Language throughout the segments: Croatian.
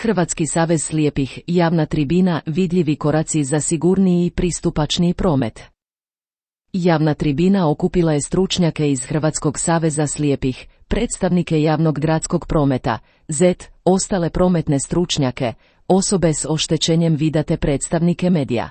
Hrvatski savez slijepih, javna tribina, vidljivi koraci za sigurniji i pristupačniji promet. Javna tribina okupila je stručnjake iz Hrvatskog saveza slijepih, predstavnike javnog gradskog prometa, ZET, ostale prometne stručnjake, osobe s oštećenjem vida te predstavnike medija.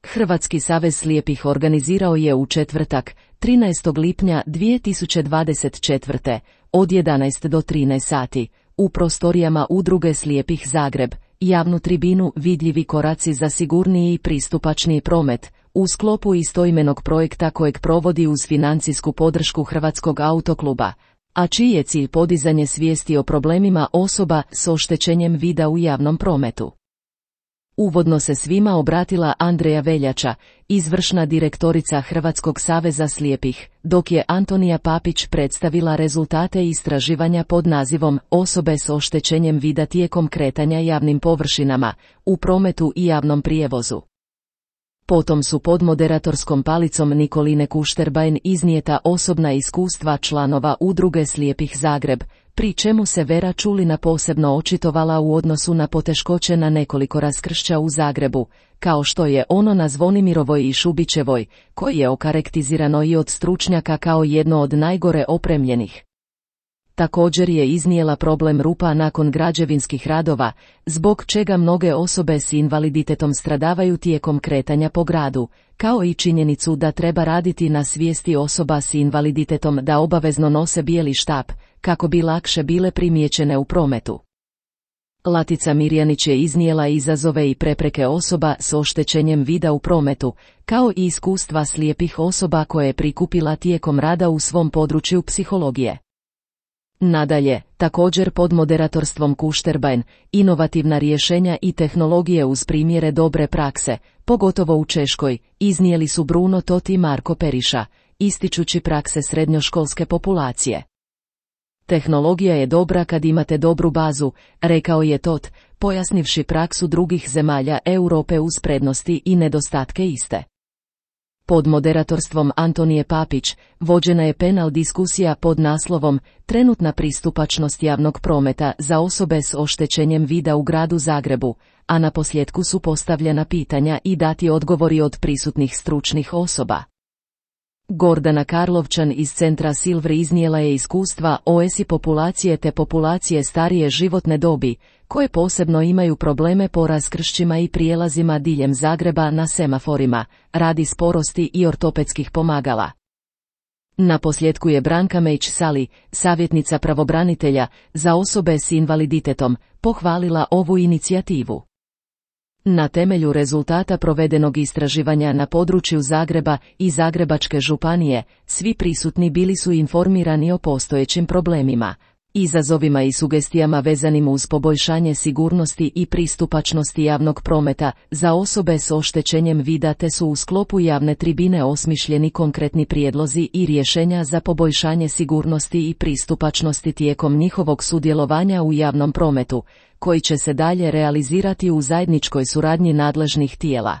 Hrvatski savez slijepih organizirao je u četvrtak, 13. lipnja 2024. od 11 do 13 sati, u prostorijama Udruge slijepih Zagreb, javnu tribinu vidljivi koraci za sigurniji i pristupačniji promet, u sklopu istoimenog projekta kojeg provodi uz financijsku podršku Hrvatskog autokluba, a čiji je cilj podizanje svijesti o problemima osoba s oštećenjem vida u javnom prometu. Uvodno se svima obratila Andreja Veljača, izvršna direktorica Hrvatskog saveza slijepih, dok je Antonija Papić predstavila rezultate istraživanja pod nazivom Osobe s oštećenjem vida tijekom kretanja javnim površinama, u prometu i javnom prijevozu. Potom su pod moderatorskom palicom Nikoline Kušterbajn iznijeta osobna iskustva članova Udruge slijepih Zagreb, pri čemu se Vera Čulina posebno očitovala u odnosu na poteškoće na nekoliko raskršća u Zagrebu, kao što je ono na Zvonimirovoj i Šubićevoj, koje je okarakterizirano i od stručnjaka kao jedno od najgore opremljenih. Također je iznijela problem rupa nakon građevinskih radova, zbog čega mnoge osobe s invaliditetom stradavaju tijekom kretanja po gradu, kao i činjenicu da treba raditi na svijesti osoba s invaliditetom da obavezno nose bijeli štap, kako bi lakše bile primijećene u prometu. Latica Mirjanić je iznijela izazove i prepreke osoba s oštećenjem vida u prometu, kao i iskustva slijepih osoba koje je prikupila tijekom rada u svom području psihologije. Nadalje, također pod moderatorstvom Kušterbajn, inovativna rješenja i tehnologije uz primjere dobre prakse, pogotovo u Češkoj, iznijeli su Bruno Tot i Marko Periša, ističući prakse srednjoškolske populacije. Tehnologija je dobra kad imate dobru bazu, rekao je Tot, pojasnivši praksu drugih zemalja Europe uz prednosti i nedostatke iste. Pod moderatorstvom Antonije Papić, vođena je panel diskusija pod naslovom Trenutna pristupačnost javnog prometa za osobe s oštećenjem vida u gradu Zagrebu, a na posljetku su postavljena pitanja i dati odgovori od prisutnih stručnih osoba. Gordana Karlovčan iz centra Silver iznijela je iskustva OSI populacije te populacije starije životne dobi, koje posebno imaju probleme po raskršćima i prijelazima diljem Zagreba na semaforima, radi sporosti i ortopedskih pomagala. Na posljetku je Branka Mejić-Sali, savjetnica pravobranitelja za osobe s invaliditetom, pohvalila ovu inicijativu. Na temelju rezultata provedenog istraživanja na području Zagreba i Zagrebačke županije, svi prisutni bili su informirani o postojećim problemima, izazovima i sugestijama vezanim uz poboljšanje sigurnosti i pristupačnosti javnog prometa za osobe s oštećenjem vida te su u sklopu javne tribine osmišljeni konkretni prijedlozi i rješenja za poboljšanje sigurnosti i pristupačnosti tijekom njihovog sudjelovanja u javnom prometu, koji će se dalje realizirati u zajedničkoj suradnji nadležnih tijela.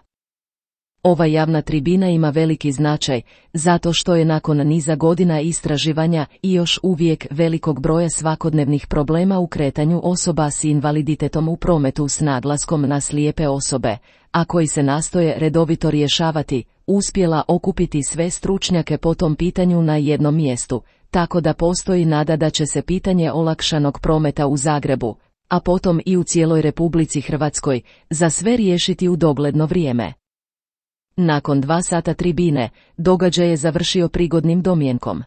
Ova javna tribina ima veliki značaj, zato što je nakon niza godina istraživanja i još uvijek velikog broja svakodnevnih problema u kretanju osoba s invaliditetom u prometu s naglaskom na slijepe osobe, a koji se nastoje redovito rješavati, uspjela okupiti sve stručnjake po tom pitanju na jednom mjestu, tako da postoji nada da će se pitanje olakšanog prometa u Zagrebu, a potom i u cijeloj Republici Hrvatskoj, za sve riješiti u dogledno vrijeme. Nakon 2 sata tribine, događaj je završio prigodnim domjenkom.